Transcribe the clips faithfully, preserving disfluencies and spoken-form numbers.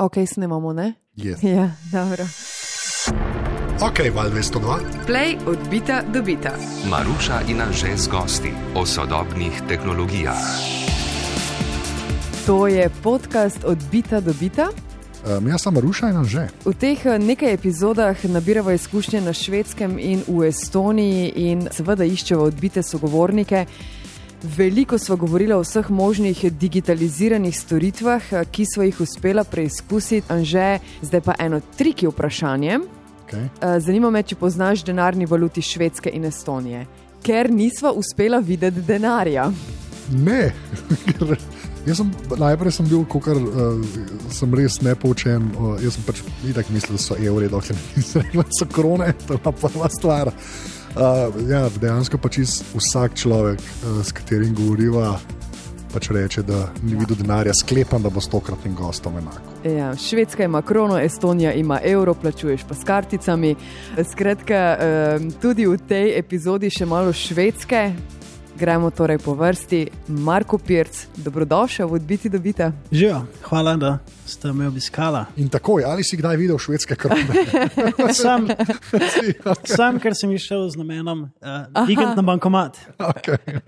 Ok, snemamo, ne? Yes. Ja, dobro. Ok, Val dvesto dva. Play od bita do bita. Maruša in Anže z gosti o sodobnih tehnologijah. To je podcast od bita do bita. Um, jaz sem Maruša in Anže. V teh nekaj epizodah nabiramo izkušnje na Švedskem in v Estoniji in seveda iščemo odbite sogovornike. Veliko sva govorila o vseh možnih digitaliziranih storitvah, ki sva jih uspela preizkusiti. Anže, zdaj pa eno triki vprašanje. Okay. Zanima me, če poznaš denarni valuti Švedske in Estonije. Ker nisva uspela videti denarja. Ne, jaz sem, najprej sem bil, kakor uh, sem res nepoučen. Uh, jaz sem pač itak mislil, da so evri, dokler nisem rekel, da so krone, to je prva stvar. Uh, ja, dejansko pač vsak človek, uh, s katerim govoriva, pač reče, da ni videl denarja, sklepam, da bo stokratnim gostom enako. Ja, Švedska ima krono, Estonija ima evro, plačuješ pa s karticami. Skratka, tudi v tej epizodi še malo Švedske. Gremo torej po vrsti. Marko Pirc, dobrodošel v odbiti do bita. Živijo, hvala, da ste me obiskala. In takoj, ali si kdaj videl švedske krone? Sam, sam, ker sem išel z namenom uh, vikend na bankomat. Okay.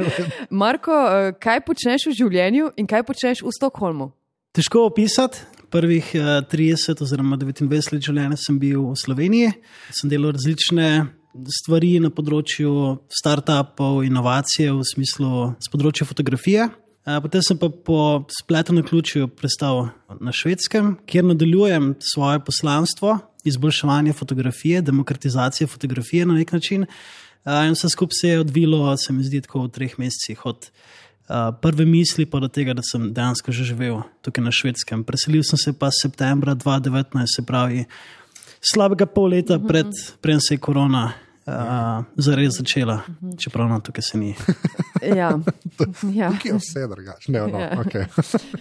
Marko, kaj počneš v življenju in kaj počneš v Stockholmu? Težko opisati. Prvih uh, trideset oziroma devetindvajset let življenja sem bil v Sloveniji. Sem delal različne stvari na področju startupov, inovacije v smislu z področja fotografije. Potem sem pa po spletu na ključju prestal na Švedskem, kjer nadaljujem svoje poslanstvo, izboljševanje fotografije, demokratizacije fotografije na nek način. In vse skupaj se je odvilo, se mi zdi, tako v treh mesecih od prve misli pa do tega, da sem dejansko že živel tukaj na Švedskem. Preselil sem se pa septembra dva tisoč devetnajst, se pravi slabega pol leta pred, preden se je korona uh, zares začela, čeprav no, tukaj se ni. Ja. Ja. Tukaj je vse drugače. No, Ja. okay.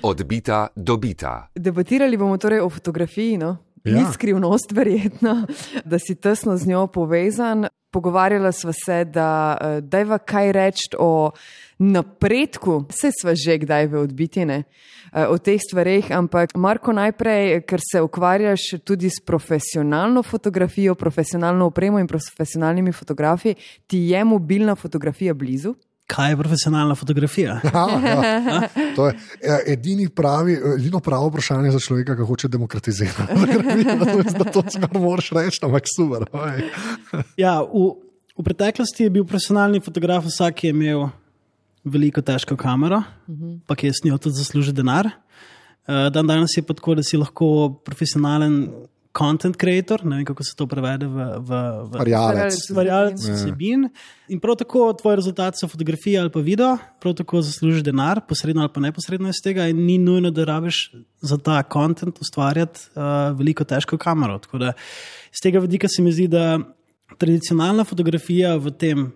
Od bita do bita. Debatirali bomo torej o fotografiji, no? Ja. Ni skrivnost verjetno, da si tesno z njo povezan. Pogovarjala sva se, da dajva kaj reči o napredku, vse sva že kdaj v odbiti, ne, o teh stvareh, ampak Marko, najprej, ker se ukvarjaš tudi s profesionalno fotografijo, profesionalno opremo in profesionalnimi fotografi, ti je mobilna fotografija blizu? Kaj je profesionalna fotografija? Ja, ja. To je edini pravi, edino pravo vprašanje za človeka, ki hoče demokratizirati. Da to skoro moraš reči, ampak super. Ja, v, v preteklosti je bil profesionalni fotograf vsak, ki je imel veliko težko kamero, uh-huh. pa ki je s njo tudi zaslužil denar. Dan danes je pa tako, da si lahko profesionalen content creator, ne vem, kako se to prevede v, v, v Varjalec. Varjalec vsebin. In prav tako tvoj rezultat so fotografije ali pa video, prav tako zaslužiš denar, posredno ali pa neposredno iz tega in ni nujno, da rabiš za ta content ustvarjati uh, veliko težko kamero. Tako da iz tega vidika se mi zdi, da tradicionalna fotografija v tem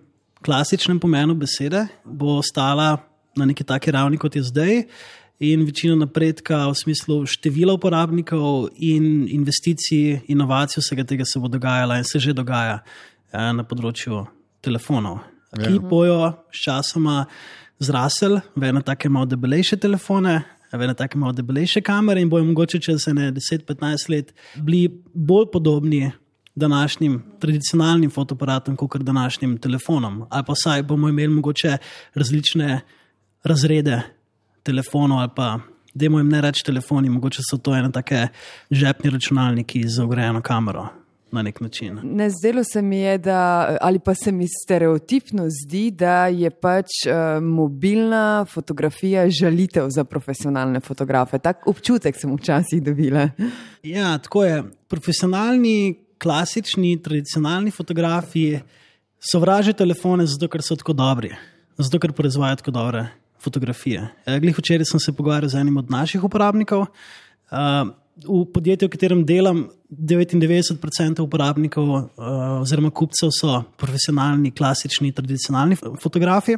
klasičnem pomenu besede bo ostala na neki taki ravni, kot je zdaj, in večina napredka v smislu števila uporabnikov in investicij, inovacij, vsega tega se bo dogajala in se že dogaja eh, na področju telefonov, ki ja. bojo s časoma zrasel v ene take malo debelejše telefone, v ene take malo debelejše kamere in bojo mogoče čez ene deset do petnajst let bili bolj podobni današnjim tradicionalnim fotoaparatom, kot današnjim telefonom. Ali pa vsaj bomo imeli mogoče različne razrede telefonov, ali pa dajmo jim ne reči telefoni, mogoče so to ene take žepni računalniki z vgrajeno kamero na nek način. Ne, zdelo se mi je, da, ali pa se mi stereotipno zdi, da je pač uh, mobilna fotografija žalitev za profesionalne fotografe. Tak občutek sem včasih dobila. Ja, tako je. Profesionalni, klasični, tradicionalni fotografi sovražijo telefone zato, ker so tako dobri, zato, ker proizvajajo tako dobre fotografije. Glih včeraj sem se pogovarjal z enim od naših uporabnikov. V podjetju, v katerem delam, devetindevetdeset procentov uporabnikov oziroma kupcev so profesionalni, klasični, tradicionalni fotografi.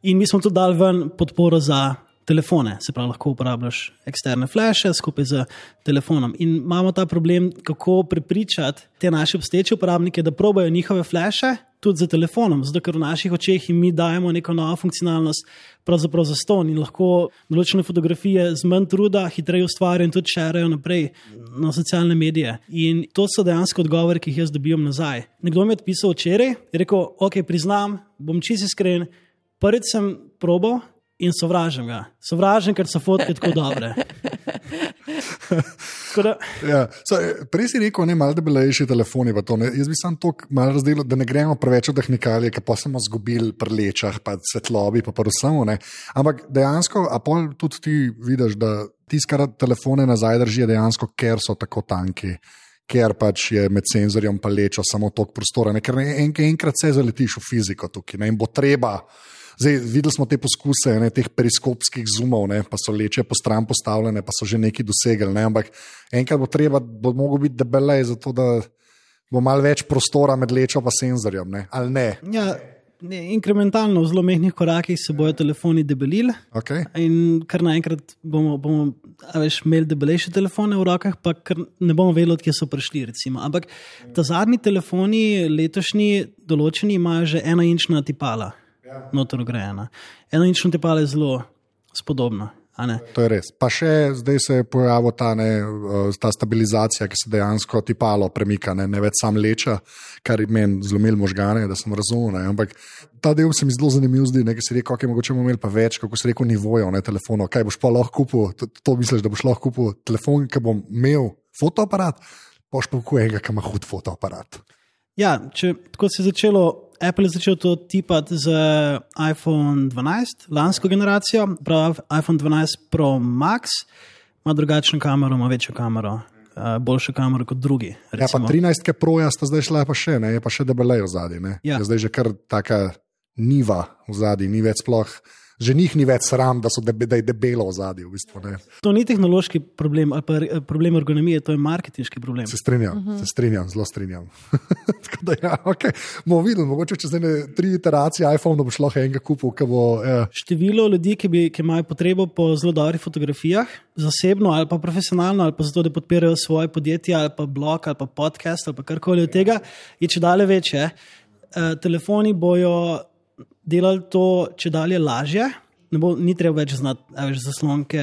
In mi smo tudi dali ven podporo za telefone, se pravi, lahko uporabljaš eksterne flashe skupaj z telefonom. In imamo ta problem, kako prepričati te naše obstoječe uporabnike, da probajo njihove flashe tudi za telefonom, zato ker v naših očeh jim mi dajemo neko novo funkcionalnost, pravzaprav za ston in lahko določene fotografije z manj truda hitreje ustvarjajo in tudi šerajo naprej na socialne medije. In to so dejansko odgovori, ki jih jaz dobivam nazaj. Nekdo mi je odpisal včeraj, je rekel, ok, priznam, bom čisto iskren, prvič sem probal in sovražim ga. Sovražim, ker so fotke tako dobre. Da... Ja, so, prej si rekel, ne, malo debelejši telefoni. To, Jaz bi sam to malo razdelil, da ne gremo preveč v tehnikalije, ki pa smo zgubili pri lečah, pa svetlobi, pa pa vsemu. Ampak dejansko, a pol tudi ti vidiš, da tiskar telefone nazaj držijo dejansko, ker so tako tanki, ker pač je med senzorjem pa lečo samo toliko prostora. Ne? Ker en, enkrat se zaletiš v fiziko tukaj ne? In bo treba. Zdaj, videli smo te poskuse, ne, teh periskopskih zoomov, ne, pa so leče po stran postavljene, pa so že neki dosegli. Ne, ampak enkrat bo treba, bo mogel biti debelej, zato da bo malo več prostora med lečo pa senzorjem, ne, ali ne? Ja, ne, inkrementalno v zelo mehkih korakih se bojo telefoni debelili. Okay. In kar naenkrat bomo, bomo veš, imeli debelejše telefone v rokah, pa kar ne bomo vedeli, kje so prišli. Recimo. Ampak ta zadnji telefoni, letošnji, določeni, imajo že enoinčna tipala. Notor grejena. Enoinčno tipalo je zelo spodobno. To je res. Pa še zdaj se je pojavila ta, ta stabilizacija, ki se dejansko tipalo premika, ne, ne več sam leča, kar je meni zlomil možgane, da sem razumel. Ne. Ampak ta del se mi zelo zanimiv zdi, nekaj si rekel, ok, mogoče bomo imeli pa več, kako si rekel, nivojev, ne, telefonov. Kaj boš pa lahko kupil, to, to misliš, da boš lahko kupil telefon, ki bom imel fotoaparat, boš pa kupil enega, ki ima hud fotoaparat. Ja, če tako se je začelo, Apple je začel to tipati z iPhone dvanajst, lansko generacijo, prav iPhone dvanajst Pro Max, ima drugačno kamero, ima večjo kamero, boljšo kamero kot drugi. Recimo. Ja, pa trinajstke Proja sta zdaj šla pa še, ne, je pa še debelej v zadnji, ne. Ja. Je zdaj že kar taka niva v zadnji, ni več sploh. Že njih ni več sram, da, so debe, da je debelo v zadju. V bistvu, to ni tehnološki problem ali pa problem ergonomije, to je marketinški problem. Se strinjam, uh-huh. se strinjam, zelo strinjam. Tako da ja, ok, bomo videli, mogoče čez ene tri iteracije iPhone, da boš lahko enega kupil, ki bo... Ja. Število ljudi, ki, bi, ki imajo potrebo po zelo dobrih fotografijah, zasebno ali pa profesionalno, ali pa zato, da podpirajo svoje podjetje, ali pa blog, ali pa podcast, ali pa karkoli od tega, je čedalje večje. E, telefoni bojo delali to čedalje lažje, ne bo, ni treba več znati več zaslonke.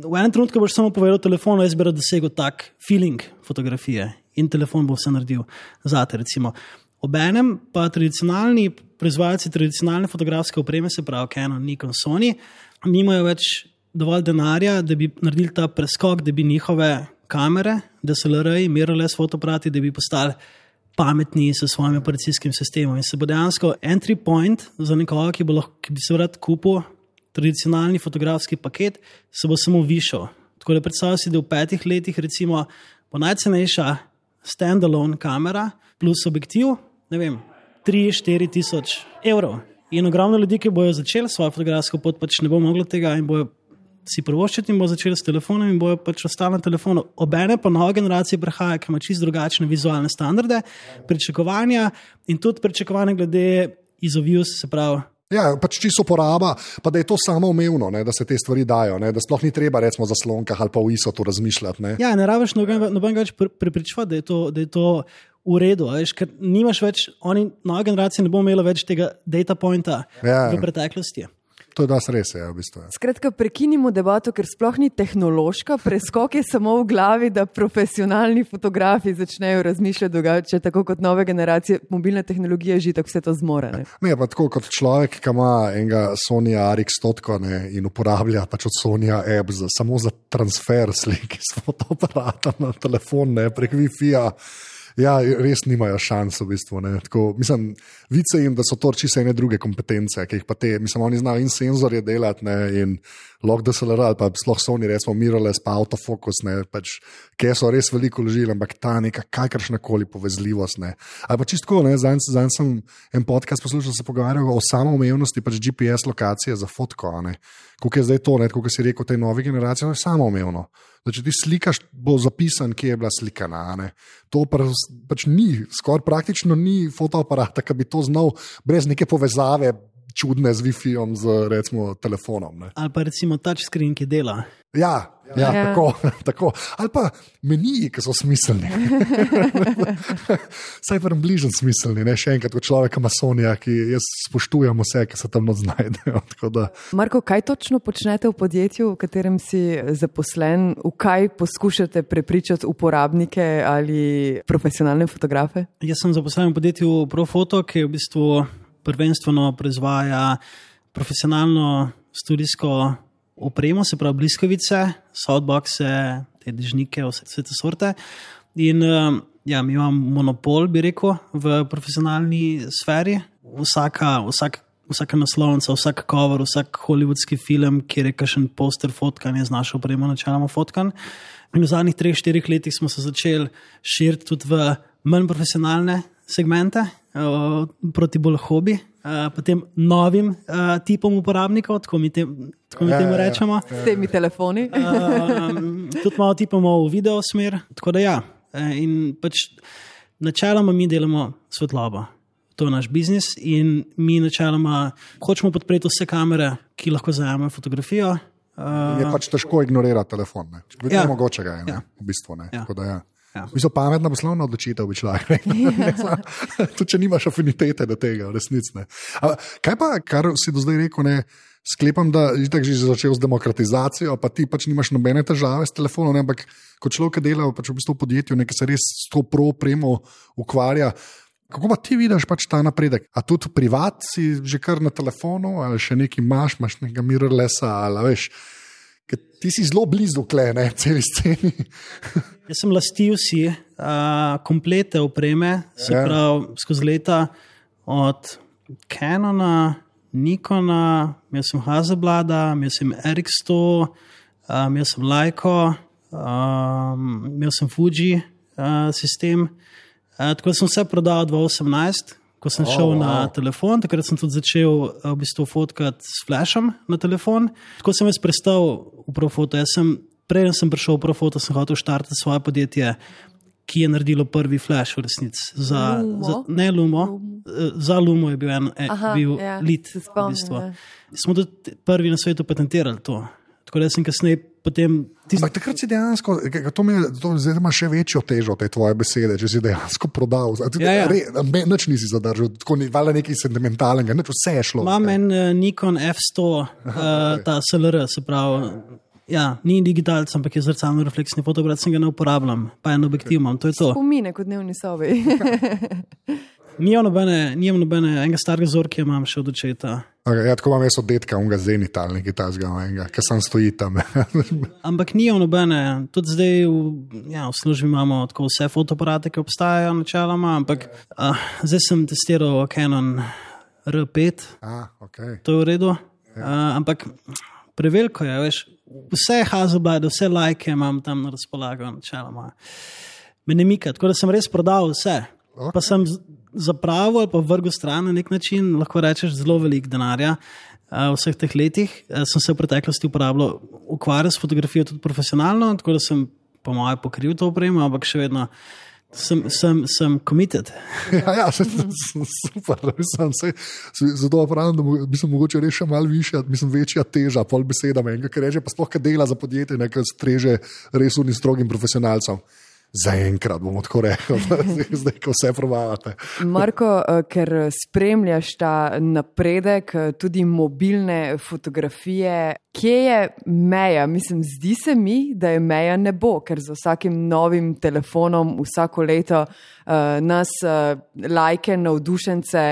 V enem trenutku boš samo povedal telefonu, jaz bi rad dosegel tak feeling fotografije in telefon bo vse naredil zate, recimo. Obenem pa tradicionalni proizvajalci tradicionalne fotografske opreme, se pravi Canon, Nikon, Sony, nimajo več dovolj denarja, da bi naredili ta preskok, da bi njihove kamere, D S L R-ji, mirrorless fotoaparati, da bi postali pametni s svojim operacijskim sistemom. In se bo dejansko entry point za nekoga, ki, bo lahko, ki bi se rad kupil tradicionalni fotografski paket, se bo samo višal. Tako da predstavljaj si, da v petih letih recimo bo najcenejša standalone kamera plus objektiv, ne vem, tri do štiri tisoč evrov. In ogromno ljudi, ki bojo začeli svojo fotografsko pot, pač ne bo moglo tega in bojo si prvoščiti in bo začeli s telefonom in bojo pač ostali na telefonu. Obene pa nova generacija prihaja, ki ima čisto drugačne vizualne standarde, pričakovanja in tudi pričakovanja glede izovius, se pravi. Ja, pač čisto poraba, pa da je to samoumevno, ne, da se te stvari dajo, ne, da sploh ni treba recimo za slonkah ali pa v I S O tu razmišljati. Ne. Ja, ne rabiš nobenega več prepričevati, da je to, da je to v redu, veš, ker nimaš več, oni, nova generacija ne bo imela več tega data pointa ja, v preteklosti. To je das res, je, v bistvu. Skratka, prekinimo debato, ker sploh ni tehnološka, preskok je samo v glavi, da profesionalni fotografi začnejo razmišljati drugače, tako kot nove generacije mobilne tehnologije že tako vse to zmore. Ne, ne pa tako kot človek, ki ima enega Sony A R X sto in uporablja pač od Sony app za, samo za transfer slik iz fotoaparata na telefon, ne, prek Wi-Fi-ja. Ja, res nimajo šans v bistvu. Ne. Tako, mislim, vice jim, da so to čisto ene druge kompetence, ki jih pa te, mislim, oni znajo in senzorje delati, ne, in log D S L R, ali pa sploh Sony, recimo mirrorless, pa autofocus, ne, pač, ki so res veliko vložili, ampak ta neka kakršnakoli povezljivost, ne. Ali pa čisto, ne, zanj, zanj sem en podcast poslušal, se pogovarjal o samoumevnosti pač G P S lokacije za fotko, ne. Kako je zdaj to, ne, kako si rekel, tej novi generaciji, to je samoumevno. Da če ti slikaš, bo zapisan, kje je bila slikana. Ne? To pa, pač ni, skoraj praktično ni fotoaparata, ki bi to znal brez neke povezave čudne z Wi-Fi-om, z recimo telefonom. Ne? Ali pa recimo touchscreen, ki dela. Ja, Ja, Ja. tako, tako. Ali pa meniji, ki so smiselni. Saj pa bližnji smiselni, ne še enkrat, kot človek masonija, ki jaz spoštujem vse, ki se tam not znajdejo. Tako da- Marko, kaj točno počnete v podjetju, v katerem si zaposlen? V kaj poskušate prepričati uporabnike ali profesionalne fotografe? Jaz sem zaposlen v podjetju Profoto, ki v bistvu prvenstveno proizvaja profesionalno studijsko opremo, se pravi bliskavice, softboxe, te dežnike, vse, vse te sorte. In ja, mi imamo monopol, bi rekel, v profesionalni sferi. Vsaka, vsak, vsaka naslovnica, vsak cover, vsak hollywoodski film, kjer je kakšen poster fotkan, je z našo opremo načeloma fotkan. In v zadnjih treh, štirih letih smo se začeli širiti tudi v manj profesionalne segmente, proti bolj hobi, potem novim tipom uporabnikov, tako mi, te, tako mi temu rečemo. S temi telefoni? Um, tudi malo tipamo v video smer, tako da ja. In pač načeloma mi delamo svetlobo. To je naš biznis in mi načeloma hočemo podpreti vse kamere, ki lahko zajamejo fotografijo. Je pač težko ignorirati telefon. Ne. Ja. Mogoče ga je, ne, Ja. v bistvu. Ne. Ja. Tako da, ja. Ja. Mi so pametna poslovna odločitev, bi človek rekel. Tudi če nimaš afinitete do tega, v resnici. Ne. A, kaj pa, kar si do zdaj rekel, ne, sklepam, da je tako že začel z demokratizacijo, pa ti pač nimaš nobene težave s telefonom, ne, ampak kot človek, ki dela pač v bistvu v podjetju, ki se res s to pro-opremo ukvarja. Kako pa ti vidiš pač ta napredek? A tudi privat si že kar na telefonu, ali še nekaj imaš, imaš nekaj mirrorlessa, ali veš, ker ti si zelo blizu klene, celi sceni. Jaz sem lastil si uh, komplete opreme, se Ja. pravi skozi leta od Canona, Nikona, imel sem Hasselblada, imel sem R X sto, uh, imel sem Leico, um, imel sem Fuji uh, sistem. Uh, tako da sem vse prodal dva tisoč osemnajst, ko sem Oh, šel wow. na telefon, takrat sem tudi začel uh, v bistvu fotkati s flashom na telefon. Tako sem jaz prestal v Profoto. Jaz sem, preden sem prišel v Profoto, sem hotel štartati svoje podjetje, ki je naredilo prvi flash v resnici. Za, Lumo? za, ne Lumo, Lumo. Za Lumo je bil, en, eh, Aha, bil ja, lead. se spomnim, v bistvu. ja. Smo tudi prvi na svetu patentirali to. Tako da sem kasneje potem... Tist... Ampak takrat si dejansko, to mi je, to zdaj ima še večjo težo te tvoje besede, če si dejansko prodal. Ti, Ja, ja. Re, me, nič nisi zadržal, tako ni, valjda nekaj sentimentalnega, nič, vse je šlo. Imam en uh, Nikon F sto, uh, ta S L R, se pravi, ja, ni digitalc, ampak je zrcalno refleksni fotoaparat, sem ga ne uporabljam, pa en objektiv imam, to je to. Spomine kot dnevni sobi. Nijam nobene, nijam nobene, enega starega zorka imam še od očeta. Okay, ja, tako imam jaz od detka, unga zenital, nekaj tazga, ki sem stoji tam. Ampak nijam nobene, tudi zdaj v, ja, v službi imamo tako vse fotoaparate, ki obstajajo načeloma, ampak uh, zdaj sem testiral Canon R pet, A, okay. to je v redu, uh, ampak preveliko je, veš, vse Hasselblad, vse lajke imam tam na razpolago načeloma. Me ne mika, tako da sem res prodal vse. Ok. Pa sem z- zapravil ali pa vrgel stran na nek način, lahko rečeš, zelo velik denarja. Uh, v vseh teh letih uh, sem se v preteklosti uporabljal, ukvarjal s fotografijo tudi profesionalno, tako da sem po moje pokril to opremo, ampak še vedno sem, sem, sem committed. Ja, ja, se, super, mislim, se, zato pravim, da mo- mislim, mogoče res še malo višja, mislim, večja teža, pol beseda menga, ker reče, pa sploh, kaj dela za podjetje, nekaj streže res unim strogim profesionalcem. Zaenkrat bomo tako rekli, zdaj, ko vse probavate. Marko, eh, ker spremljaš ta napredek, eh, tudi mobilne fotografije, kje je meja? Mislim, zdi se mi, da je meja nebo, ker z vsakim novim telefonom vsako leto uh, nas uh, lajke, navdušence,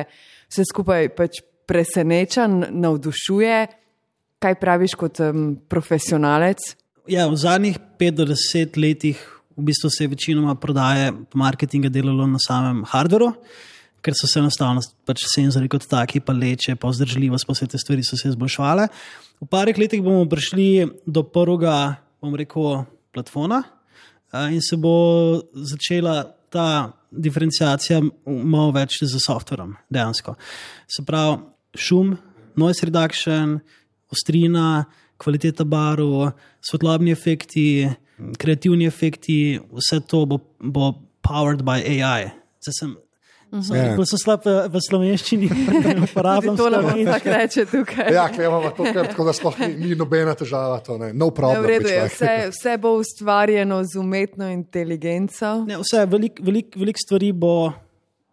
vse skupaj pač preseneča, navdušuje. Kaj praviš kot um, profesionalec? Ja, v zadnjih pet do deset letih v bistvu se je večinoma prodaje marketinga delalo na samem hardveru, ker so se enostavno pač senzori kot taki, pa leče, pa vzdržljivost, pa vse te stvari so se izboljševale. V parih letih bomo prišli do prvega, bom rekel, platforma in se bo začela ta diferenciacija malo več z softverom, dejansko. Se pravi, šum, noise reduction, ostrina, kvaliteta barv, svetlobni efekti, kreativni efekti, vse to bo, bo powered by A I. Zdaj sem, Ja. Bolj so slab v, v slovenščini, uporabljam To nam slovenščino. tako reče tukaj. Ja, imamo to, kar, tako da sploh ni, ni nobena težava. To, ne. No Ja, problem. v redu je, bi vse, vse bo ustvarjeno z umetno inteligenco. Ne, vse, veliko velik, velik stvari bo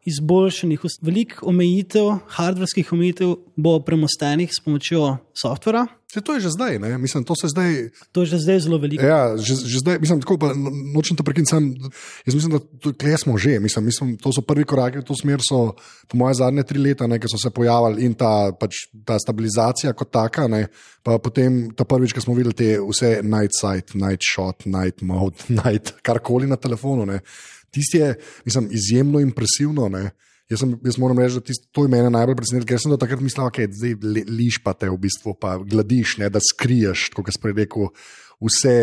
izboljšanih, veliko omejitev, hardverskih omejitev bo premostenih s pomočjo softvera. Se to je že zdaj, ne? Mislim, to se zdaj. To je že zdaj zelo veliko. Ja, že, že zdaj, mislim, tako pa nočem te prekiniti, sam, jaz mislim, da tukaj smo že, mislim, mislim, to so prvi koraki v to smer, so po moje zadnje tri leta, ne, ki so se pojavili in ta, pač, ta stabilizacija kot taka, ne, pa potem ta prvič, ko smo videli te vse night sight, night shot, night mode, night, karkoli na telefonu, ne, tisti je, mislim, izjemno impresivno, ne. Jaz, sem, jaz moram reči, da tist, to je mene najbolj presenetilo, ker sem do takrat mislil, da okay, zdaj liš pa te v bistvu, pa gladiš, ne, da skriješ, kot sem prej rekel, vse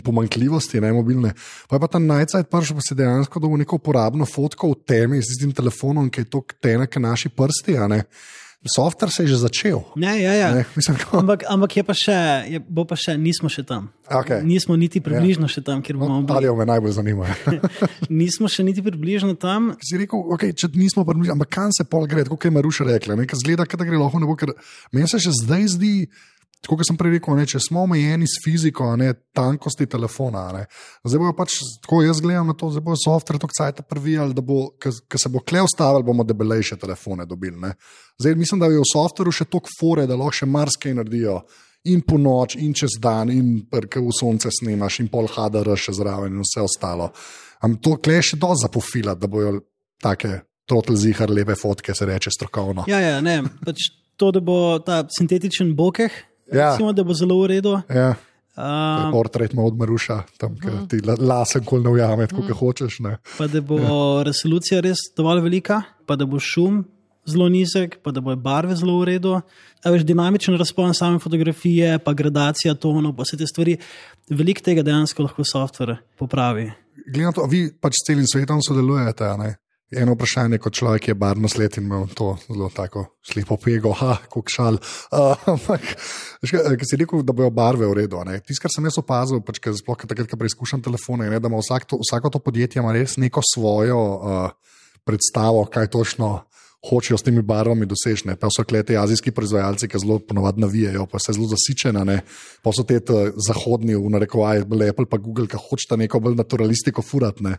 pomanjkljivosti, ne, mobilne. Pa je pa ta najcajt prišel, pa se dejansko dobil neko uporabno fotko v temi s tistim telefonom, ki je to tenek naši prsti, a ne. Software se je že začel. Ne, ja, ja. Ne, mislim, ko... Ampak, ampak je pa še, je, bo pa še, nismo še tam. Okay. Nismo niti približno ja. še tam, kjer bomo no, bili. Ali me najbolj zanima. Nismo še niti približno tam. Si rekel, okay, če nismo približno, ampak kam se pol gre, kot je Maruša rekla, nekaj zgleda, da gre lahko ne bo, ker meni se še zdaj zdi, tako kot sem prej rekel, ne, če smo omejeni s fiziko, ne, tankosti telefona, ne, zdaj bojo pač, tako jaz gledam na to, zdaj bojo software tako cajta prvijali, da bo, ker se bo kle ustavili, bomo debelejše telefone dobili, ne. Zdaj mislim, da je v softwareu še toliko fore, da lahko še marsikaj naredijo in po noč, in čez dan, in ker v sonce snimaš, in pol H D R še zraven in vse ostalo. Am to kle še dosti zapofilati, da bojo take total zihar lepe fotke, se reče strokovno. Ja, ja, ne, pač to, da bo ta sintetičen bokeh, Ja. recimo, da bo zelo v redu. Ja. Um, Portret ima od Maruša, tam, ker ti lasen kol ne ujame, tako kot hočeš. Ne. Pa da bo ja. resolucija res dovolj velika, pa da bo šum zelo nizek, pa da bo barve zelo v redu. A veš, dinamičen razpon same fotografije, pa gradacija tonov, pa vse te stvari. Veliko tega dejansko lahko software popravi. Glede na to, vi pač s celim svetom sodelujete, a ne? Eno vprašanje, kot človek je barno slet in imel to zelo tako slepo pego, ha, kuk šal. Ampak, uh, ki si rekel, da bojo barve v redu. Tisto, kar sem jaz opazil, pač, ker sploh takrat, ko preizkušam telefone, je, da ima vsak to, vsako to podjetje ima res neko svojo uh, predstavo, kaj točno hočejo s temi barvami doseči. Pa so klete azijski proizvajalci, ki zelo ponovadi navijajo, pa se zelo zasičena, ne. Pa so te zahodni, v narekovaji, Apple pa Google, ki hočeta neko bolj naturalistiko furat, ne.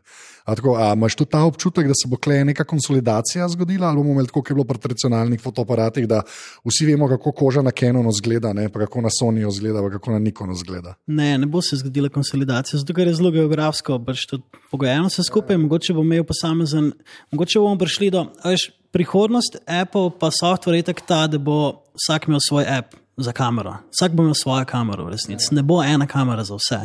A tako, a imaš tudi ta občutek, da se bo kle neka konsolidacija zgodila, ali bomo imeli tako, kot je bilo pri tradicionalnih fotoaparatih, da vsi vemo, kako koža na Canonu zgleda, ne, pa kako na Sonyju zgleda, pa kako na Nikonu zgleda. Ne, ne bo se zgodila konsolidacija, zato ker je zelo geografsko, pač to pogojeno vse skupaj, mogoče bo imel posamezen, mogoče bomo prišli do, veš, prihodnost Apple pa software je tak ta, da bo vsak imel svoj app za kamero. Vsak bo imel svojo kamero v resnici. Ne bo ena kamera za vse.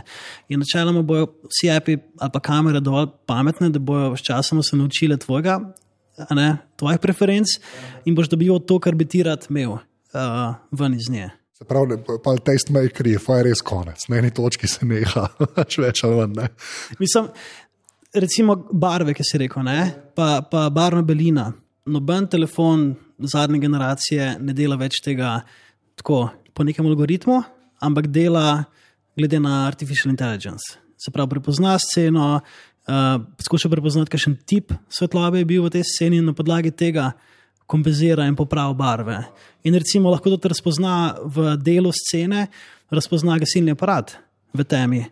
In načeloma bojo vsi appi ali pa kamere dovolj pametne, da bojo sčasoma se naučile tvojega, a ne, tvojih preferenc in boš dobival to, kar bi ti rad imel uh, ven iz nje. Se pravi, pa tastemakeri, pa je res konec. Na eni točki se neha, več ali manj, ne. Mislim, recimo barve, ki si rekel, ne, pa, pa barvna belina. Noben telefon zadnje generacije ne dela več tega tako po nekem algoritmu, ampak dela glede na artificial intelligence. Se pravi, prepozna sceno, uh, skuša prepoznati, kakšen tip svetlobe je bil v tej sceni in na podlagi tega kompenzira in popravi barve. In recimo lahko tudi razpozna v delu scene, razpozna gasilni aparat v temi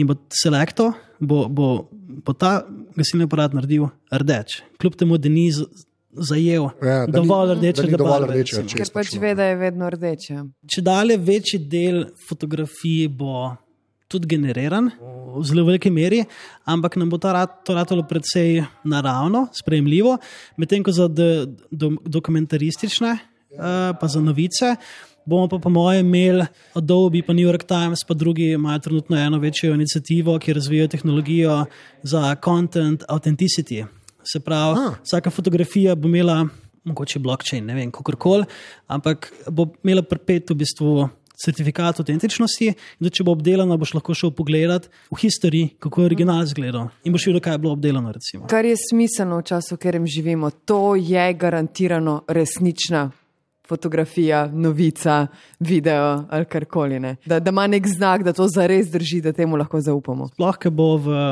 in bo selektor, bo, bo, bo ta gasilni aparat naredil rdeč. Kljub temu, da ni zajel ja, dovolj rdečega barve. Ker pač ve, da je vedno rdeče. Če dalje večji del fotografij bo tudi generiran v zelo veliki meri, ampak nam bo to ratalo predvsej naravno, sprejemljivo, medtem ko za de, do, dokumentaristične uh, pa za novice bomo pa po mojem imeli Adobe, pa New York Times, pa drugi imajo trenutno eno večjo inicijativo, ki razvijajo tehnologijo za content authenticity. Se pravi, ah. vsaka fotografija bo imela, mogoče blockchain, ne vem, kakorkoli, ampak bo imela pripet v bistvu certifikat autentičnosti, in da če bo obdelana, boš lahko šel pogledat v historiji, kako je original izgledal in boš videl, kaj je bilo obdelano, recimo. Kar je smiselno v času, v katerem živimo, to je garantirano resnična fotografija, novica, video ali karkoli, ne. Da, da ima nek znak, da to zares drži, da temu lahko zaupamo. Sploh, ker bo v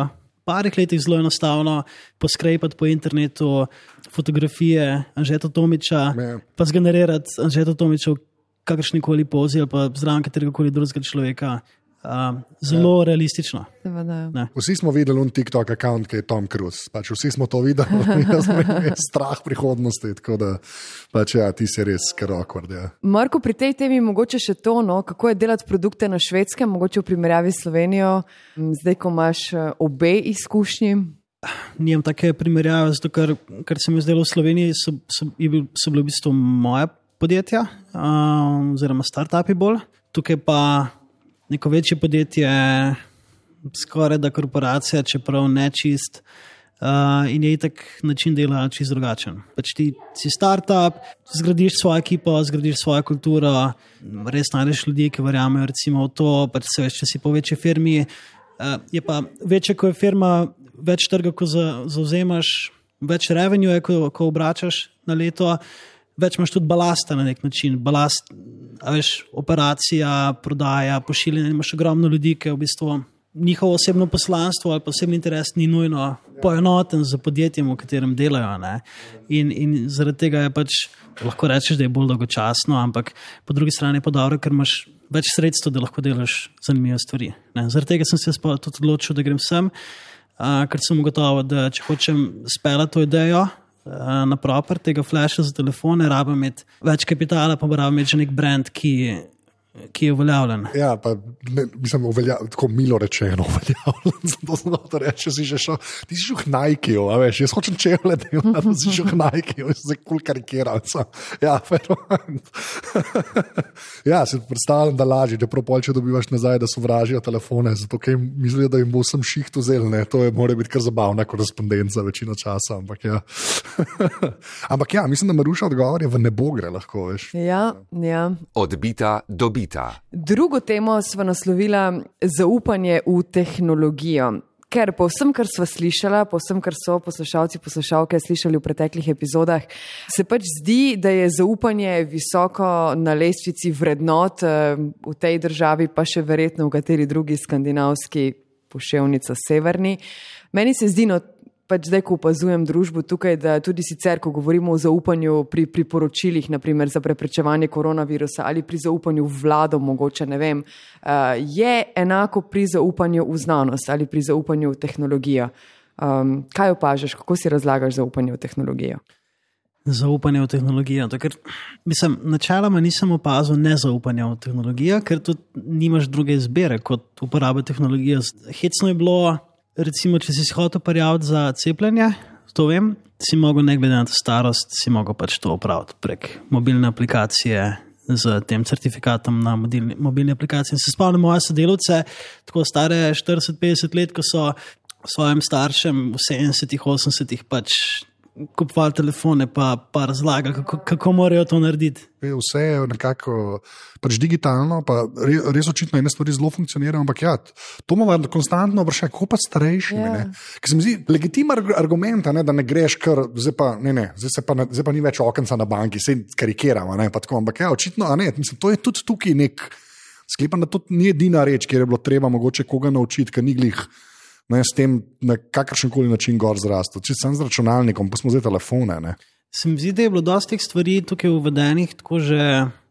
parih letih zelo enostavno poskrepati po internetu fotografije Anžeta Tomića, Ja. pa zgenerirati Anžeta Tomića v kakršnikoli pozi ali pa zraven kateregakoli drugega človeka. Uh, zelo ja. realistično. Seveda. Vsi smo videli un TikTok account, ki je Tom Cruise. Pač vsi smo to videli, jaz sem imel strah prihodnosti, tako da pač ja, ti si res kar awkward. Ja. Marko, pri tej temi mogoče še to, no, kako je delati produkte na Švedskem, mogoče v primerjavi s Slovenijo, zdaj, ko imaš obe izkušnji. Nijem take primerjave, zato ker, ker se mi zdelo v Sloveniji, so, so, so bile v bistvu moje podjetja, uh, oziroma start-upi bolj. Tukaj pa neko večje podjetje, skoraj da korporacija, čeprav ne čist, uh, in je itak način dela čist drugačen. Pač ti si startup, zgradiš svojo ekipo, zgradiš svojo kulturo, res najdeš ljudi, ki verjamejo recimo v to, pač se veš, če si po večji firmi, uh, je pa večja, ko je firma, več trga, ko zauzemaš, več revenue, ko, ko obračaš na leto, več imaš tudi balasta na nek način. Balast, a veš, operacija, prodaja, pošiljanje, imaš ogromno ljudi, ki v bistvu njihovo osebno poslanstvo ali pa osebni interes ni nujno poenoten z podjetjem, v katerem delajo. Ne? In, in zaradi tega je pač, lahko rečeš, da je bolj dolgočasno, ampak po drugi strani je pa dobro, ker imaš več sredstev, da lahko delaš zanimive stvari. Ne? Zaradi tega sem se tudi odločil, da grem sem, uh, ker sem ugotovil, da če hočem speljati to idejo, na proper tega flasha za telefone, rabim imeti več kapitala, pa rabim imeti že nek brand, ki, ki je uveljavljen. Ja, pa ne, mislim, uvelja, tako milo rečeno uveljavljen, zato sem to reče, si že šel, ti si šel k Nikeju, a veš, jaz hočem čevle delati, da si šel k Nikeju, jaz se kul karikiral. Ja, ja, si predstavljam, da lažje, da propol, če dobivaš nazaj, da sovražijo telefone, zato ker mislijo, da jim bo vsem šiht vzel, ne, to je, mora biti kar zabavna korespondenca večino časa, ampak ja. Ampak ja, mislim, da Maruša odgovor je v nebo gre lahko, veš. Ja, ja. Odbita dobita. Drugo temo sva naslovila zaupanje v tehnologijo. Ker po vsem, kar sva slišala, po vsem, kar so poslušalci, poslušalke slišali v preteklih epizodah, se pač zdi, da je zaupanje visoko na lestvici vrednot v tej državi, pa še verjetno v kateri drugi skandinavski poševnica severni. Meni se zdi, no, pač zdaj, ko opazujem družbo tukaj, da tudi sicer, ko govorimo o zaupanju pri priporočilih, naprimer za preprečevanje koronavirusa ali pri zaupanju v vlado, mogoče, ne vem, je enako pri zaupanju v znanost ali pri zaupanju v tehnologijo. Um, kaj opažaš, kako si razlagaš zaupanje v tehnologijo? Zaupanje v tehnologijo. Ker, mislim, načeloma nisem opazil nezaupanja v tehnologijo, ker tudi nimaš druge izbire kot uporaba tehnologije. Hecno je bilo, recimo, če si hotel prijaviti za cepljenje, to vem, si mogel ne glede na starost, si mogel pač to opraviti prek mobilne aplikacije z tem certifikatom na mobilni, mobilni aplikaciji. In se spomnim moje sodelavce, tako stare štirideset petdeset let, ko so svojim staršem v sedemdesetih, osemdesetih pač kupovali telefone, pa, pa razlagali, kako, kako morajo to narediti. Vse je nekako pač digitalno, pa res, res očitno ene stvari zelo funkcionirajo, ampak ja, to ima konstantno vprašanje, kako pa starejšimi. Yeah. Ker se mi zdi legitimen argument, ne, da ne greš kar, zdaj pa, ne, ne, zdaj se pa, zdaj pa ni več okenca na banki, se karikiramo, ne, pa tako, ampak ja, očitno, a ne, mislim, to je tudi tukaj nek, sklepam, da to ni edina reč, kjer je bilo treba mogoče koga naučiti, ker ni glih ne, s tem na kakršenkoli način gor zrastel. Če sem z računalnikom, pa smo zdaj telefone. Ne. Se mi zdi, da je bilo dosti stvari tukaj uvedenih tako že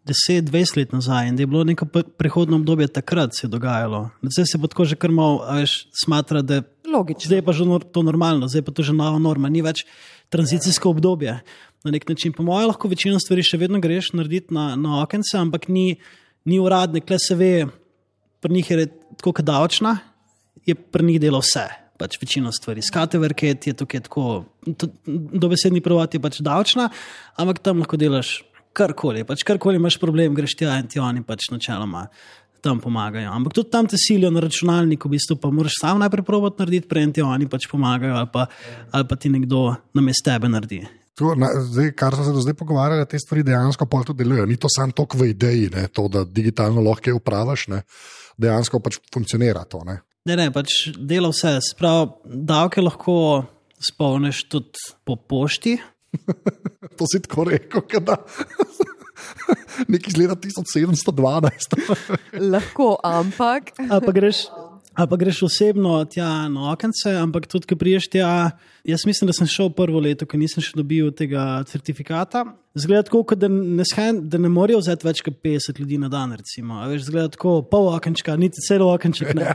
deset dvajset let nazaj in da je bilo neko prehodno obdobje takrat se je dogajalo. Zdaj se pa tako že kar malo, veš, smatra, da logično. Zdaj je pa že to normalno, zdaj je pa to že nova norma, ni več tranzicijsko obdobje. Na nek način, po mojem, lahko večino stvari še vedno greš narediti na, na okence, ampak ni, ni uradne, kle se ve, pri njih je tako kot davčna, je pri njih delo vse, pač večino stvari. Skateverket je tukaj tako, dobesedni prevod je pač davčna, ampak tam lahko delaš karkoli, pač karkoli imaš problem, greš tja in ti oni pač načeloma tam pomagajo. Ampak tudi tam te silijo na računalniku, v bistvu pa moraš sam najprej probati narediti, prej ti oni pač pomagajo ali pa, ali pa ti nekdo namesto tebe naredi. To, na, zdaj, kar so se do zdaj pogovarjali, te stvari dejansko pol tudi delujejo. Ni to samo toliko v ideji, ne, to, da digitalno lahko upravaš, ne, dejansko pač funkcionira to. Ne. Ne, ne, pač dela vse. Sprav, davke lahko spolneš tudi po pošti. To si tako rekel, kada nekaj iz leta tisoč sedemsto dvanajst. Lahko, ampak. Ali pa greš, Ali pa greš osebno tja na okence, ampak tudi, ko priješ tja, jaz mislim, da sem šel prvo leto, ko nisem še dobil tega certifikata. Zgleda tako, da ne, da ne morajo vzeti več kot petdeset ljudi na dan, recimo. A veš, zgleda tako, pol okenčka, niti celo okenček, ne.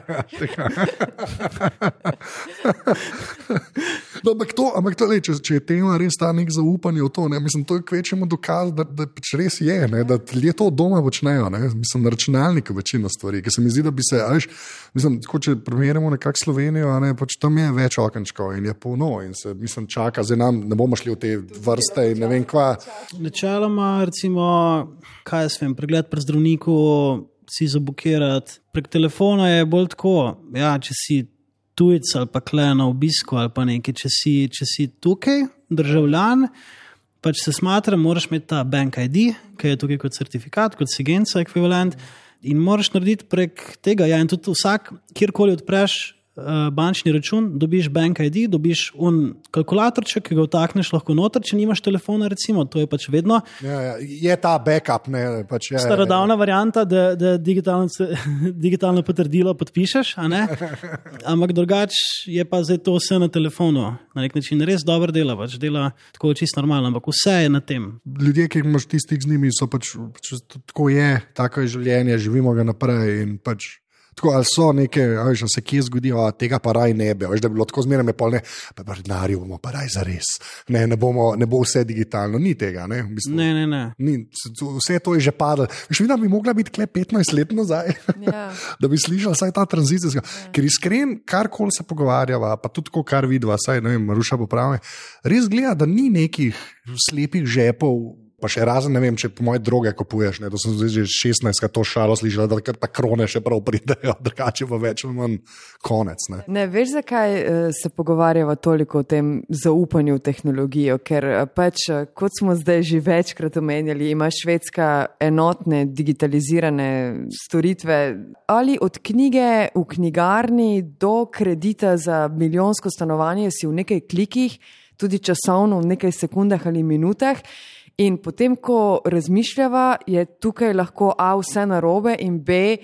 No, ampak to, ampak to le, če, če je tema res ta nek zaupanje v to, ne, mislim, to je kvečemu dokaz, da, da pač res je, ne, da ljudje to doma počnejo, ne, mislim, na računalniku večino stvari, ker se mi zdi, da bi se, a veš, mislim, tako, če primerjamo nekak Slovenijo, ne, pač tam je več okenčkov in je polno in se, mislim, čaka, zdaj nam ne bomo šli v te vrste in ne vem kva. Načeloma, recimo, kaj jaz vem, pregled pri zdravniku, si zabukirati, prek telefona je bolj tako, ja, če si tujec ali pa kle na obisku ali pa nekaj, če si, če si tukaj, državljan, pač se smatra, moraš imeti ta bank I D, ki je tukaj kot certifikat, kot Sigenca ekvivalent in moraš narediti prek tega, ja, in tudi vsak, kjerkoli odpreš uh, bančni račun, dobiš bank I D, dobiš un kalkulatorček, ki ga vtakneš lahko noter, če nimaš telefona, recimo, to je pač vedno. Ja, ja, je ta backup, ne, pač je. Starodavna ja, ja. varianta, da, da digitalno, digitalno potrdilo podpišeš, a ne? Ampak drugač je pa zdaj to vse na telefonu. Na nek način res dobro dela, pač dela tako čisto normalno, ampak vse je na tem. Ljudje, ki imaš tistih z njimi, so pač, pač tako je, tako je življenje, živimo ga naprej in pač tako, ali so neke, veš, da se kje zgodijo, a tega pa raj ne bi, veš, da bi bilo tako zmeraj me pol, ne, pa pa denarju bomo pa raj zares, ne, ne bomo, ne bo vse digitalno, ni tega, ne, v bistvu, ne, ne, ne. Ni, vse to je že padlo, veš, vidim, da bi mogla biti kle petnajst let nazaj, ja. Da bi slišala saj ta tranzicija, ja. Ker iskren, karkoli se pogovarjava, pa tudi tako, kar vidiva, saj, ne vem, Maruša popravi, res gleda, da ni nekih slepih žepov, pa še razen, ne vem, če po moje droge kupuješ, ne, to sem zdaj že šestnajstkrat to šalo slišala, da ta krone še prav pridejo, drugače pa več ali manj konec. Ne, ne veš, zakaj se pogovarjava toliko o tem zaupanju v tehnologijo, ker pač, kot smo zdaj že večkrat omenjali, ima Švedska enotne digitalizirane storitve, ali od knjige v knjigarni do kredita za milijonsko stanovanje si v nekaj klikih, tudi časovno v nekaj sekundah ali minutah. In potem, ko razmišljava, je tukaj lahko A, vse narobe in B,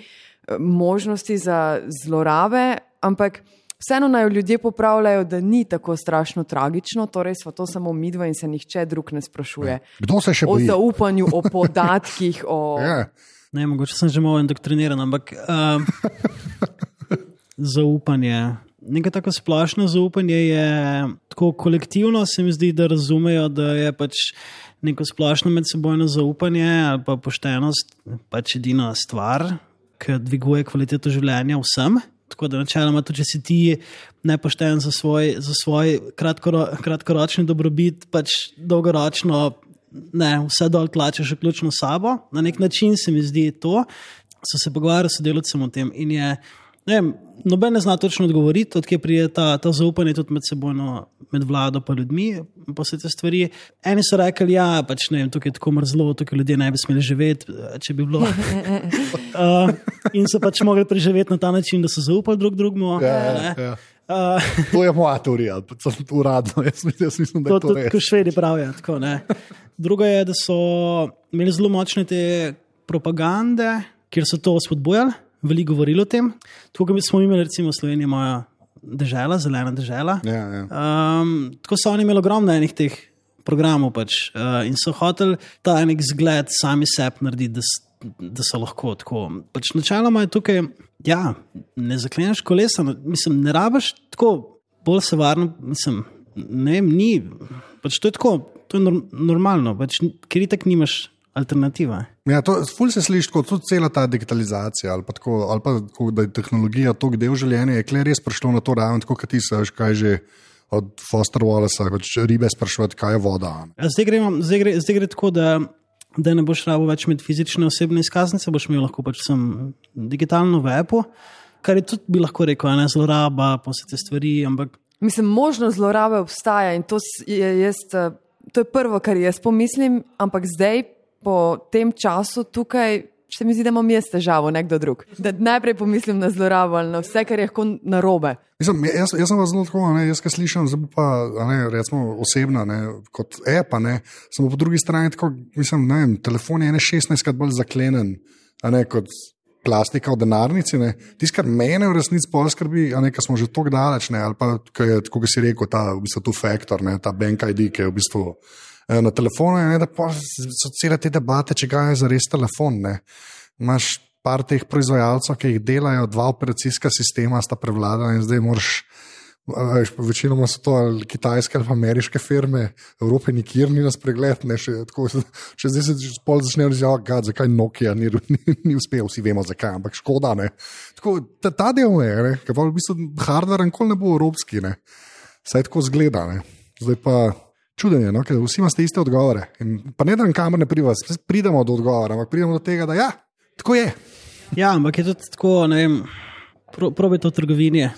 možnosti za zlorabe, ampak vseeno naj ljudje popravljajo, da ni tako strašno tragično, torej sva to samo midva in se nihče drug ne sprašuje. Kdo se še boji? O zaupanju, o podatkih, o... Ja. Ne, mogoče sem že malo indoktriniran, ampak uh, zaupanje... Nekaj tako splošno zaupanje je tako kolektivno, se mi zdi, da razumejo, da je pač neko splošno medsebojno zaupanje ali pa poštenost pač edina stvar, ki dviguje kvaliteto življenja vsem. Tako da načeloma tudi, če si ti nepošten za svoj, za svoj kratkoro, kratkoročni dobrobit, pač dolgoročno ne, vse dol tlačeš vključno sabo. Na nek način se mi zdi to, so se pogovarjali s sodelavcem o tem in je ne vem, noben ne zna točno odgovoriti, odkje prije ta, ta zaupanje tudi med sebojno, med vlado pa ljudmi, pa vse te stvari. Eni so rekli, ja, pač ne vem, tukaj je tako mrzlo, tukaj ljudje ne bi smeli živeti, če bi bilo. uh, in so pač mogli preživeti na ta način, da so zaupali drug drugmu. Ja, ja. Uh, to je moja teorija, uradno, jaz mislim, da je to, to res. To, kot Švedi pravijo, tako, ne. Drugo je, da so imeli zelo močne te propagande, kjer so to spodbujali, veliko govorili o tem. Tukaj smo imeli, recimo, Slovenija moja dežela, zelena dežela. Ja, ja. Um, tako so oni imeli ogromno enih teh programov pač, uh, in so hoteli ta enek zgled sami sebi narediti, da, da so lahko tako. Pač načeloma je tukaj, ja, ne zakleneš kolesa, mislim, ne rabiš tako, bolj se varno, mislim, ne vem, ni, pač to je tako, to je normalno, pač, ker itak nimaš alternativa. Ja, to ful se sliši kot tudi cela ta digitalizacija ali pa tako, ali pa tako, da je tehnologija tok del življenja, je kle res prišlo na to raven, tako kot ti se, kaj že od Foster Wallace, pač ribe sprašovati, kaj je voda. Ja, zdaj, gre, zdaj, gre, zdaj gre tako, da, da ne boš rabo več med fizične osebne izkaznice, boš imel lahko pač sem digitalno v appu, kar je tudi bi lahko rekel, ne zloraba, pa vse te stvari, ampak... Mislim, možnost zlorabe obstaja in to je, jaz, to je prvo, kar jaz pomislim, ampak zdaj po tem času tukaj se mi zdi, da imam jaz težavo, nekdo drug. Da najprej pomislim na zlorabo ali na vse, kar je lahko narobe. Mislim, jaz, jaz sem vas zelo tako, ne, jaz kaj slišam, zdaj pa, ne, recimo osebna, ne, kot app, ne, samo po drugi strani tako, mislim, ne vem, telefon je ene šestnajstkrat bolj zaklenen, a ne, kot plastika v denarnici. Tisto, kar mene v resnici bolj skrbi, a ne, ker smo že tako daleč, ne, ali pa, kako si rekel, ta v bistvu tu faktor, ne, ta bank I D, ki je v bistvu eh, na telefonu, ne, da pa so cele te debate, če ga je zares telefon. Ne. Imaš par teh proizvajalcev, ki jih delajo, dva operacijska sistema sta prevladala in zdaj moraš. Večinoma so to ali kitajske ali ameriške firme, Evrope nikjer ni nas pregled, ne, še, tako, če zdaj se pol začnejo reči, zakaj Nokia ni, ni, ni uspel, vsi vemo zakaj, ampak škoda, ne. Tako, ta, ta del je, ne, ker pa v bistvu hardware nikoli ne bo evropski, ne, saj tako zgleda, ne. Zdaj pa čudenje, no, ker vsi imate iste odgovore in pa ne da kamer ne pri vas, pridemo do odgovora, ampak pridemo do tega, da ja, tako je. Ja, ampak je tudi tako, ne vem, pro, probajte v trgovini.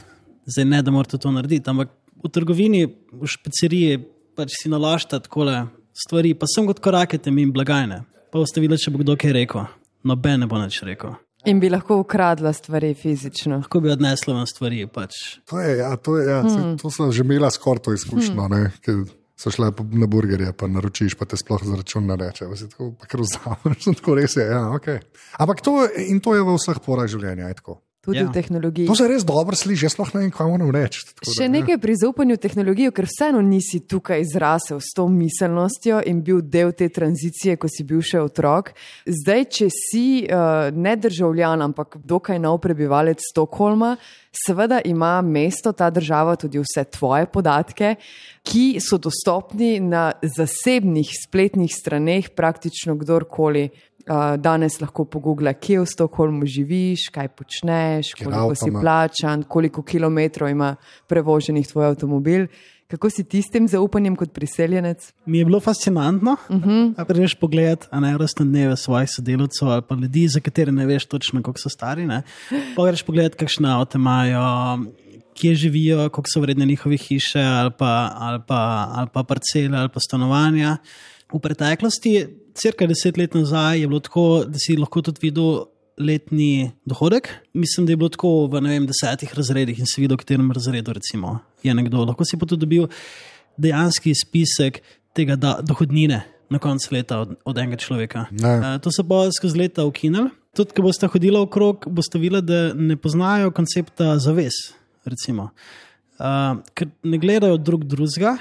Zdaj ne, da morate to narediti, ampak v trgovini, v špeceriji pač si nalašta takole stvari, pa sem kot korakete mi blagajne. Pa boste videli, če bo kdo kaj rekel. Noben ne bo nič rekel. In bi lahko ukradla stvari fizično. Lahko bi odnesla vam stvari pač. To je, ja, to je, ja. Hmm. To so že imela skoraj to izkušnjo, hmm. ne, ker so šle na burgerje, pa naročiš, pa te sploh za račun nareče. Pa si tako, pa kar vzameš, tako res je, ja, okej. Okay. Ampak to, in to je v vseh porah življenja, je tako. Tudi ja. V tehnologiji. To se res dobro sliši, jaz sploh ne vem, kaj moram reči. Še nekaj pri zaupanju v tehnologijo, ker vseeno nisi tukaj zrasel s to miselnostjo in bil del te tranzicije, ko si bil še otrok. Zdaj, če si uh, ne državljan, ampak dokaj nov prebivalec Stockholma, seveda ima mesto, ta država, tudi vse tvoje podatke, ki so dostopni na zasebnih spletnih straneh praktično kdorkoli. Uh, danes lahko pogoogla, kje v Stockholmu živiš, kaj počneš, koliko si plačan, koliko kilometrov ima prevoženih tvoj avtomobil. Kako si ti s tem zaupanjem kot priseljenec? Mi je bilo fascinantno. Uh-huh. Greš pogled, a ne rastne dneve svojih sodelavcev ali pa ljudi, za katere ne veš točno, koliko so stari. Ne? Pa greš pogled, kakšne avte imajo, kje živijo, koliko so vredne njihove hiše ali pa, ali pa, ali pa parcele ali pa stanovanja. V preteklosti, cirka deset let nazaj, je bilo tako, da si lahko tudi videl letni dohodek. Mislim, da je bilo tako v ne vem, desetih razredih in si videl, v katerem razredu recimo je nekdo. Lahko si pa tudi dobil dejanski spisek tega da, dohodnine na koncu leta od, od enega človeka. Uh, to so pa skozi leta ukinili. Tudi, ko boste hodili okrog, boste videli, da ne poznajo koncepta zavez, recimo. Uh, ker ne gledajo drug drugega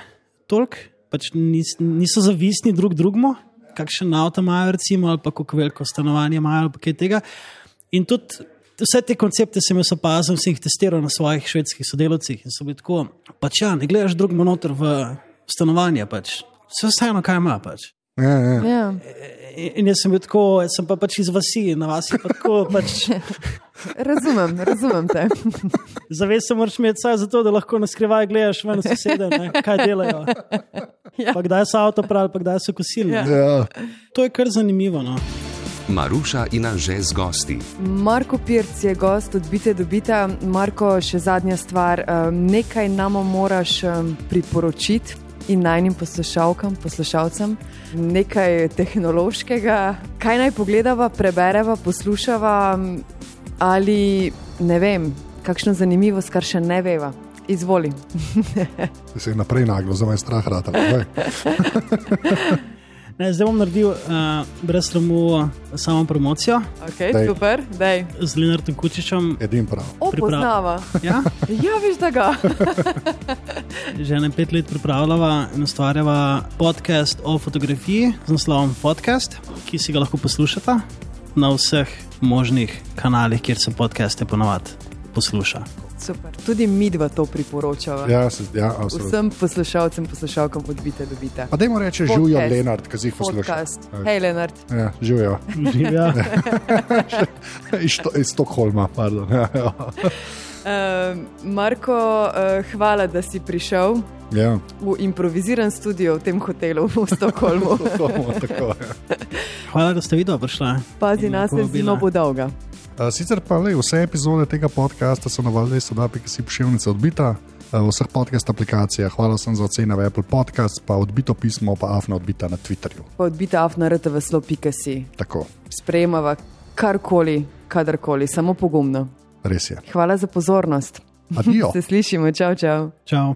toliko, pač nis, niso zavisni drug drugmu, kakšen avto imajo recimo, ali pa kako veliko stanovanje imajo, ali pa kaj tega. In tudi vse te koncepte sem jaz opazil, sem jih testiral na svojih švedskih sodelavcih in so bili tako, pač ja, ne gledaš drugmu noter v stanovanje, pač vse vseeno, kaj ima pač. Ja, ja. Ja. In jaz sem bil tako, jaz sem pa pač iz vasi, na vasi pa tako pač... Razumem, razumem te. Zavez se moraš imeti saj zato, da lahko na skrivaj gledaš ven sosede, ne, kaj delajo. Ja. Pa kdaj so avto pravi, pa kdaj so kosili. Ja. Ja. To je kar zanimivo, no. Maruša in Anže z gosti. Marko Pirc je gost od Bite do Bita. Marko, še zadnja stvar, nekaj nam moraš priporočiti in najnim poslušalkam, poslušalcem, nekaj tehnološkega, kaj naj pogledava, prebereva, poslušava ali, ne vem, kakšno zanimivost, kar še ne veva. Izvoli. Se je naprej naglo, za me strah rata. Ne, zdaj bom naredil uh, brez sramu samo promocijo. Ok, dej. Super, dej. Z Lenartom Kučičem. Edim prav. O, poznava. Ja? Ja, viš da ga. Že ne pet let pripravljava in ustvarjava podcast o fotografiji z naslovom Podcast, ki si ga lahko poslušate na vseh možnih kanalih, kjer se podcaste ponovadi posluša. Super. Tudi mi dva to priporočava. Ja, se, ja, vsem poslušalcem, poslušalkam od Bite do Bita. Pa dajmo reči, živijo Lenart, ki si jih posluša. Hej, Lenart. Ja, živijo. Živijo. iz, iz Stockholma, pardon. Ja, ja. Uh, Marko, uh, hvala, da si prišel ja. v improviziran studio v tem hotelu v Stockholmu. Tako, ja. Hvala, da ste video prišla. Pazi nas, ne zelo bo dolga. Uh, sicer pa le, vse epizode tega podcasta so na valjdesto da pika si pošiljnice odbita uh, v vseh podcast aplikacijah. Hvala sem za ocene v Apple Podcast, pa odbito pismo, pa afna odbita na Twitterju. Pa odbita afna rtvslo pika si. Tako. Sprejemava karkoli, kadarkoli, samo pogumno. Res je. Hvala za pozornost. Adijo. Se slišimo, čau, čau. Čau.